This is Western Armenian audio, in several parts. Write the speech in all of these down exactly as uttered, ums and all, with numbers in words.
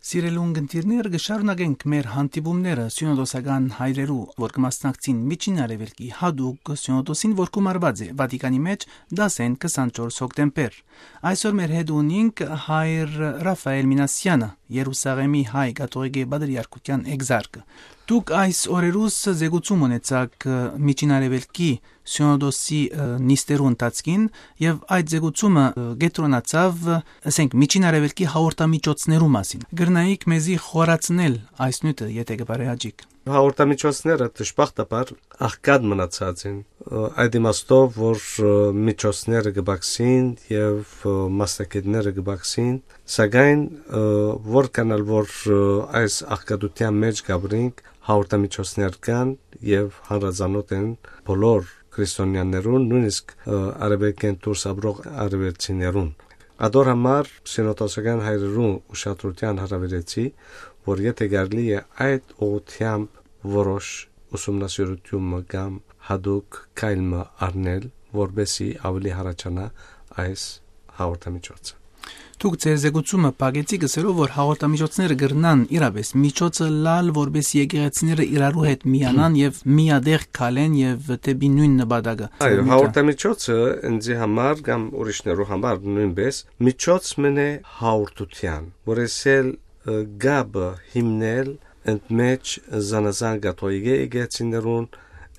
Սիրելի ունգընտիրներ, կը շարունակենք մեր հանդիպումները սիւնոդոսական հայրերու, որ կը մասնակցին Միջին Արեւելքի յատուկ սիւնոդոսին, որ գումարուած է Վատիկանի մէջ դասէն քսանչորս հոկտեմբեր։ Այսօր մեր հետ ունինք հայր Ռաֆայել Մինասեանը, Երուսաղեմի հայ կաթողիկէ պատրիարքութեան էկզարկը։ Դուք այս օրերուս զեկուցում ունեցաք, ը, Միջին Արեւելքի սիւնոդոսի, ը, նիստերու ընթացքին, եւ այդ զեկուցումը, ը, կեդրոնացաւ, ը, ասենք, Միջին Արեւելքի հաղորդամիջոցներու մասին։ Կրնայիք մեզի խորացնել այս նիւթը, եթէ կը բարեհաճիք։ Հաղորդամիջոցները դժբախտաբար աղքատ մնացած են, ը, այդ իմաստով, որ, ը, միջոցները կը բացին եւ, ը, մասնագետները կը բացին, սակայն, ը, որքան ալ որ, ը, այս աղքատութեան մէջ կ'ապրինք, հաղորդամիջոցներ կան եւ հանրազանօթ են բոլոր քրիստոնեաներուն, նոյնիսկ, ը, արեւելքէն դուրս ապրող արեւելցիներուն։ Ատոր համար սիւնոդոսական հայրերուն ուշադրութեան հրաւիրեցի, որ եթէ կարելի է, այդ ուղղութեամբ որոշ ուսումնասիրութիւն մը կամ յատուկ քայլ մը առնել, որպէսզի աւելի յառաջանայ այս հաղորդամիջոցը։ Դուք ձեր զեկուցումը փակեցիք ըսելով, որ հաղորդամիջոցները կրնան իրապէս միջոցը ըլլալ, որպէսզի եկեղեցիները իրարու հետ միանան եւ միատեղ քալեն եւ դէպի նոյն նպատակը։ Այո, հաղորդամիջոցը ինձի համար կամ ուրիշներու համար նոյնպէս միջոց մըն է հաղորդութեան, որ ես էլ, ը, կապը հիմնել ընդմէջ զանազան կաթողիկէ եկեղեցիներուն,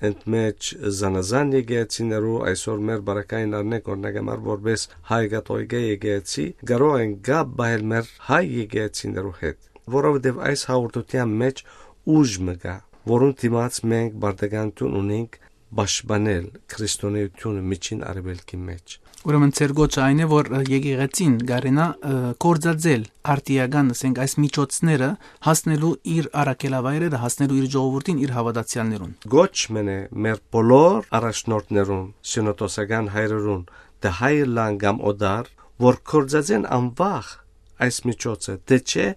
ընդմէջ զանազան եկեղեցիներու, այսօր մեր բարակային առնենք, օրինակ համար, որպէս հայ կաթողիկէ եկեղեցի, կարող են կապ պահել մեր հայ եկեղեցիներու հետ, որովհետեւ այս հաղորդութեան մէջ ուժ մը կայ, որուն դիմաց մենք պարտականութիւն ունենք պաշտպանել քրիստոնէութիւնը Միջին Արեւելքի մէջ։ Ուրեմն ձեր կոչը այն է, որ, ը, եկեղեցին կարենայ, ը, գործածել արդիական, ասենք, այս միջոցները հասնելու իր առաքելավայրերը, հասնելու իր ժողովուրդին, իր հաւատացեալներուն։ Կոչ մըն է մեր բոլոր առաջնորդներուն, սիւնոդոսական հայրերուն, թէ հայ ըլլան կամ օտար, որ գործածեն անվախ այս միջոցը, թէ չէ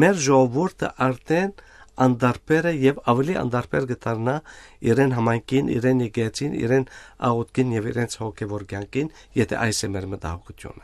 մեր ժողովուրդը արդեն անդարբեր է եւ աւելի անդարբեր կը դառնայ իրեն համայնքին, իրեն եկեղեցին, իրեն աղօթքին եւ իրենց հոգեւոր կեանքին, եթէ այս է մեր մտահոգութիւնը։